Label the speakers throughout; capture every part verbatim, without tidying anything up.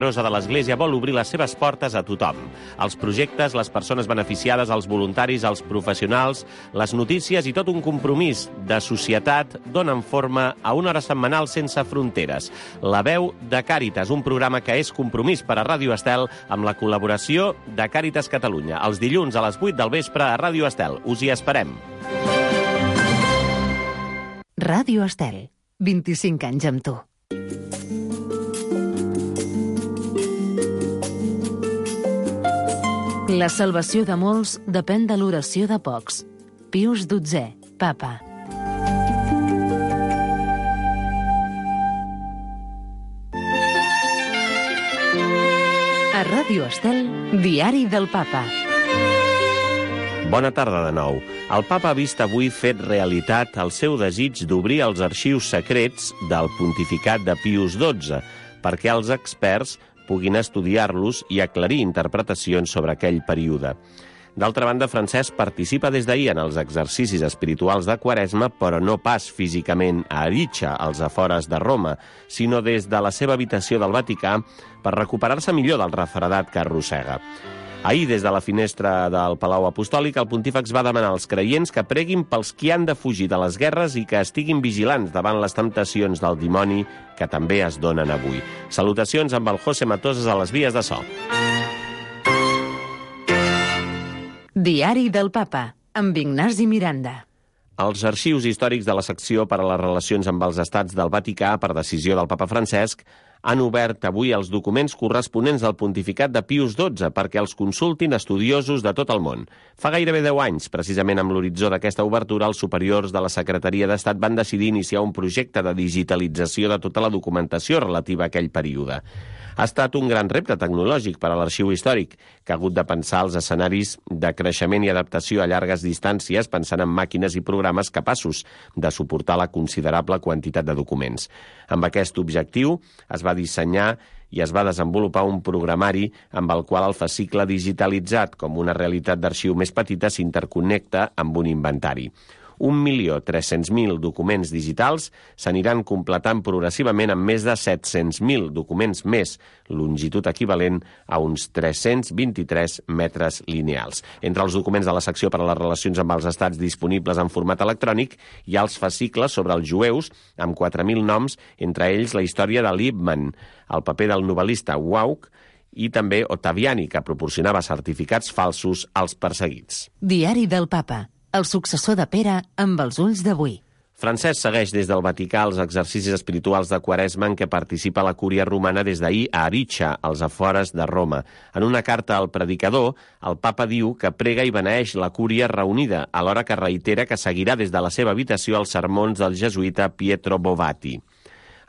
Speaker 1: Rosa de l'Església vol obrir les seves portes a tothom. Els projectes, les persones beneficiades, els voluntaris, els professionals, les notícies i tot un compromís de societat donen forma a una hora setmanal sense fronteres. La veu de Càritas, un programa que és compromís per a Ràdio Estel amb la col·laboració de Càritas Catalunya. Els dilluns a les vuit del vespre a Ràdio Estel. Us hi esperem.
Speaker 2: Ràdio Estel. vint-i-cinc anys amb tu. La salvació de molts depèn de l'oració de pocs. Pius dotzè, Papa. A Ràdio Estel, Diari del Papa.
Speaker 1: Bona tarda de nou. El Papa ha vist avui fet realitat el seu desig d'obrir els arxius secrets del pontificat de Pius dotze, perquè els experts puguin estudiar-los i aclarir interpretacions sobre aquell període. D'altra banda, Francesc participa des d'ahir en els exercicis espirituals de Quaresma, però no pas físicament a Aritxa, als afores de Roma, sinó des de la seva habitació del Vaticà per recuperar-se millor del refredat que arrossega. Ahir, des de la finestra del Palau Apostòlic, el pontífex va demanar als creients que preguin pels qui han de fugir de les guerres i que estiguin vigilants davant les temptacions del dimoni que també es donen avui. Salutacions amb el José Matoses a les vies de so.
Speaker 2: Diari del Papa, amb Ignasi Miranda.
Speaker 1: Els arxius històrics de la secció per a les relacions amb els estats del Vaticà, per decisió del Papa Francesc, han obert avui els documents corresponents del pontificat de Pius dotze perquè els consultin estudiosos de tot el món. Fa gairebé deu anys, precisament amb l'horitzó d'aquesta obertura, els superiors de la Secretaria d'Estat van decidir iniciar un projecte de digitalització de tota la documentació relativa a aquell període. Ha estat un gran repte tecnològic per a l'arxiu històric, que ha hagut de pensar els escenaris de creixement i adaptació a llargues distàncies, pensant en màquines i programes capaços de suportar la considerable quantitat de documents. Amb aquest objectiu es va dissenyar i es va desenvolupar un programari amb el qual el fascicle digitalitzat, com una realitat d'arxiu més petita, s'interconnecta amb un inventari. un milió tres-cents mil documents digitals s'aniran completant progressivament amb més de set-cents mil documents més, longitud equivalent a uns tres-cents vint-i-tres metres lineals. Entre els documents de la secció per a les relacions amb els estats disponibles en format electrònic hi ha els fascicles sobre els jueus, amb quatre mil noms, entre ells la història de Liebman, el paper del novel·lista Wauch i també Ottaviani, que proporcionava certificats falsos als perseguits.
Speaker 2: Diari del Papa. El successor de Pere amb els ulls d'avui.
Speaker 1: Francesc segueix des del Vaticà els exercicis espirituals de Quaresma en què participa la cúria romana des d'ahir a Aritxa, als afores de Roma. En una carta al predicador, el papa diu que prega i beneeix la cúria reunida, alhora que reitera que seguirà des de la seva habitació els sermons del jesuïta Pietro Bovati.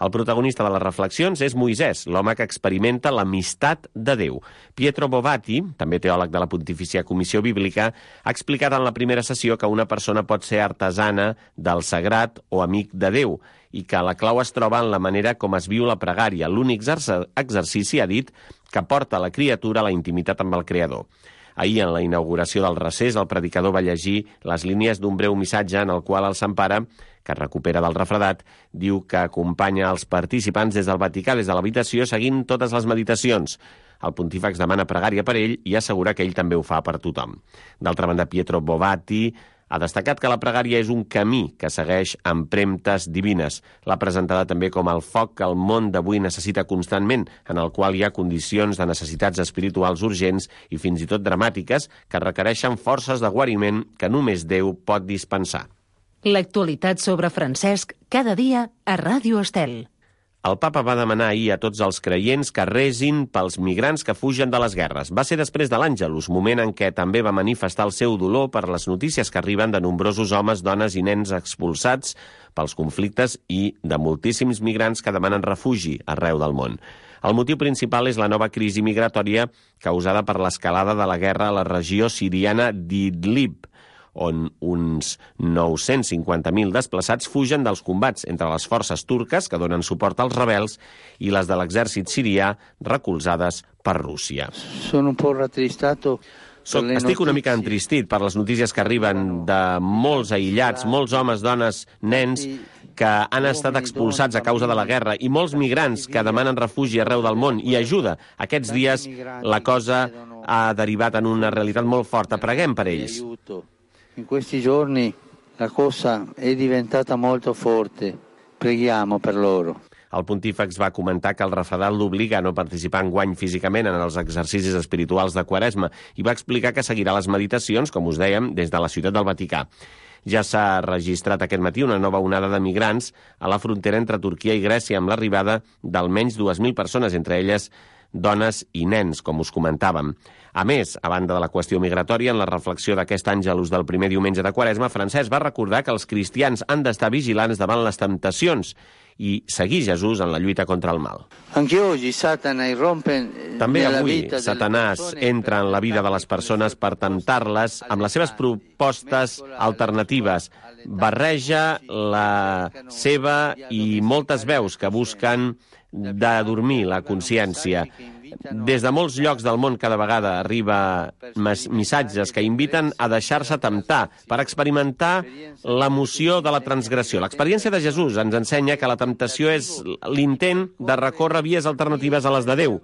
Speaker 1: El protagonista de les reflexions és Moisès, l'home que experimenta l'amistat de Déu. Pietro Bovati, també teòleg de la Pontifícia Comissió Bíblica, ha explicat en la primera sessió que una persona pot ser artesana del sagrat o amic de Déu i que la clau es troba en la manera com es viu la pregària, l'únic exercici, ha dit, que porta la criatura a la intimitat amb el Creador. Ahir, en la inauguració del recés, el predicador va llegir les línies d'un breu missatge en el qual el Sant Pare, que es recupera del refredat, diu que acompanya els participants des del Vaticà, des de l'habitació, seguint totes les meditacions. El pontífex demana pregària per ell i assegura que ell també ho fa per tothom. D'altra banda, Pietro Bovati ha destacat que la pregària és un camí que segueix empremtes divines. L'ha presentada també com el foc que el món d'avui necessita constantment, en el qual hi ha condicions de necessitats espirituals urgents i fins i tot dramàtiques que requereixen forces de guariment que només Déu pot dispensar.
Speaker 2: L'actualitat sobre Francesc cada dia a Ràdio Estel.
Speaker 1: El papa va demanar ahir a tots els creients que resin pels migrants que fugen de les guerres. Va ser després de l'Àngelus, moment en què també va manifestar el seu dolor per les notícies que arriben de nombrosos homes, dones i nens expulsats pels conflictes i de moltíssims migrants que demanen refugi arreu del món. El motiu principal és la nova crisi migratòria causada per l'escalada de la guerra a la regió siriana d'Idlib, on uns nou-cents cinquanta mil desplaçats fugen dels combats entre les forces turques que donen suport als rebels i les de l'exèrcit sirià recolzades per Rússia.
Speaker 3: Sono un po' rattristato.
Speaker 1: Soc, estic una mica entristit per les notícies que arriben de molts aïllats, molts homes, dones, nens, que han estat expulsats a causa de la guerra i molts migrants que demanen refugi arreu del món i ajuda. Aquests dies la cosa ha derivat en una realitat molt forta. Preguem per ells.
Speaker 3: In questi giorni la cosa è diventata molto forte. Preghiamo per loro.
Speaker 1: El pontífex va comentar que el refredat l'obliga a no participar enguany físicament en els exercicis espirituals de Quaresma i va explicar que seguirà les meditacions, com us dèiem, des de la ciutat del Vaticà. Ja s'ha registrat aquest matí una nova onada de migrants a la frontera entre Turquia i Grècia amb l'arribada d'almenys dues mil persones, entre elles dones i nens, com us comentàvem. A més, a banda de la qüestió migratòria, en la reflexió d'aquest àngelus del primer diumenge de Quaresma, Francesc va recordar que els cristians han d'estar vigilants davant les temptacions i seguir Jesús en la lluita contra el mal. També avui Satanàs entra en la vida de les persones per temptar-les amb les seves propostes alternatives. Barreja la seva i moltes veus que busquen d'adormir la consciència. Des de molts llocs del món cada vegada arriba missatges que inviten a deixar-se temptar per experimentar l'emoció de la transgressió. L'experiència de Jesús ens ensenya que la temptació és l'intent de recórrer vies alternatives a les de Déu.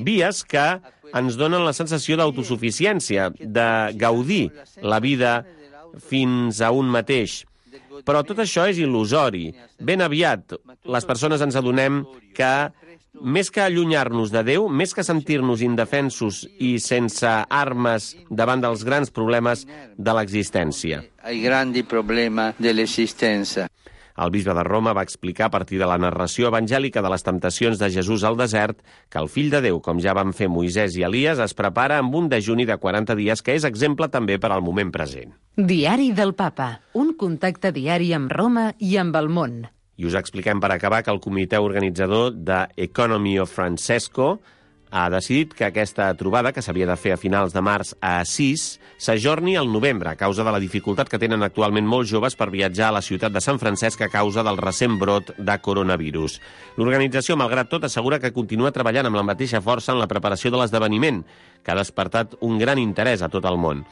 Speaker 1: Vies que ens donen la sensació d'autosuficiència, de gaudir la vida fins a un mateix. Però tot això és il·lusori. Ben aviat les persones ens adonem que més que allunyar-nos de Déu, més que sentir-nos indefensos i sense armes davant dels grans problemes de l'existència.
Speaker 3: Ai grandi problemi de l'existència.
Speaker 1: El bisbe de Roma va explicar a partir de la narració evangèlica de les temptacions de Jesús al desert que el fill de Déu, com ja van fer Moisès i Elies, es prepara amb un dejuni de quaranta dies que és exemple també per al moment present.
Speaker 2: Diari del Papa, un contacte diari amb Roma i amb el món.
Speaker 1: I us expliquem per acabar que el comitè organitzador de Economy of Francesco ha decidit que aquesta trobada, que s'havia de fer a finals de març a Assís, s'ajorni al novembre a causa de la dificultat que tenen actualment molts joves per viatjar a la ciutat de Sant Francesc a causa del recent brot de coronavirus. L'organització, malgrat tot, assegura que continua treballant amb la mateixa força en la preparació de l'esdeveniment, que ha despertat un gran interès a tot el món.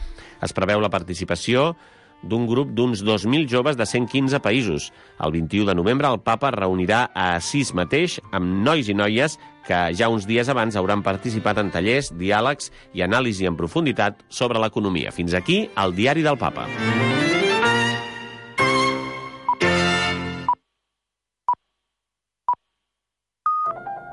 Speaker 1: Es preveu la participació d'un grup d'uns dos mil joves de cent quinze països. El vint-i-u de novembre el papa reunirà a Assís mateix amb nois i noies que ja uns dies abans hauran participat en tallers, diàlegs i anàlisi en profunditat sobre l'economia. Fins aquí el Diari del Papa.